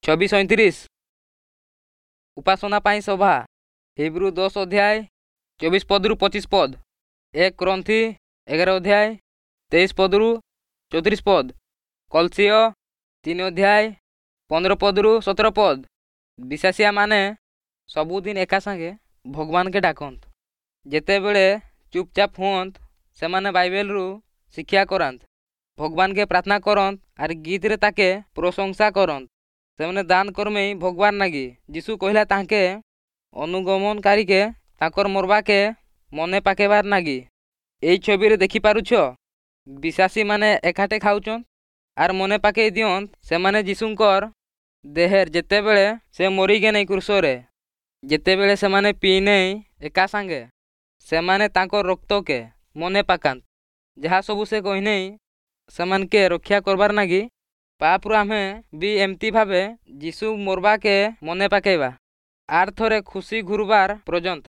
26:37। ଉପାସନା ପାଇଁ ସଭା, ହିବ୍ରୁ 10 ଅଧ୍ୟାୟ 24 ପଦରୁ 25 ପଦ, 1 କ୍ରନ୍ଥି 11 ଅଧ୍ୟାୟ 23 ପଦରୁ 34 ପଦ, କଲସୀୟ 3 ଅଧ୍ୟାୟ 15 ପଦରୁ 17 ପଦ। ବିଶ୍ୱାସିଆମାନେ ସବୁଦିନ ଏକା ସାଙ୍ଗେ ଭଗବାନକେ ଡାକନ୍ତ। ଯେତେବେଳେ ଚୁପଚାପ ହୁଅନ୍ତ, ସେମାନେ ବାଇବେଲରୁ ଶିକ୍ଷା କରାନ୍ତ, ଭଗବାନକେ ପ୍ରାର୍ଥନା କରନ୍ତ ଆର୍ ଗୀତରେ ତାକେ ପ୍ରଶଂସା କରନ୍ତ। ସେମାନେ ଦାନ କର୍ମେଇ ଭଗବାନ ନାଗି। ଯୀଶୁ କହିଲା ତାଙ୍କେ ଅନୁଗମନକାରୀକେ ତାଙ୍କର ମରବାକେ ମନେ ପାକେଇବାର ନାଗି। ଏଇ ଛବିରେ ଦେଖିପାରୁଛ, ବିଶ୍ୱାସୀମାନେ ଏକାଠେ ଖାଉଛନ୍ ଆର୍ ମନେ ପାକେଇ ଦିଅନ୍ତ ସେମାନେ ଯୀଶୁଙ୍କର ଦେହେର, ଯେତେବେଳେ ସେ ମରିଗେନେ କ୍ରୁଶରେ। ଯେତେବେଳେ ସେମାନେ ପିଇନେଇ ଏକା ସାଙ୍ଗେ, ସେମାନେ ତାଙ୍କର ରକ୍ତକେ ମନେ ପାକାନ୍ତ, ଯାହା ସବୁ ସେ କହିନେଇ ସେମାନକେ ରକ୍ଷା କରବାର ନାଗି ପାପରୁ। ଆମେ ବି ଏମିତି ଭାବେ ଯୀଶୁ ମରବାକେ ମନେ ପାକେଇବା ଆର୍ ଥରେ ଖୁସି ଘୁରବାର ପର୍ଯ୍ୟନ୍ତ।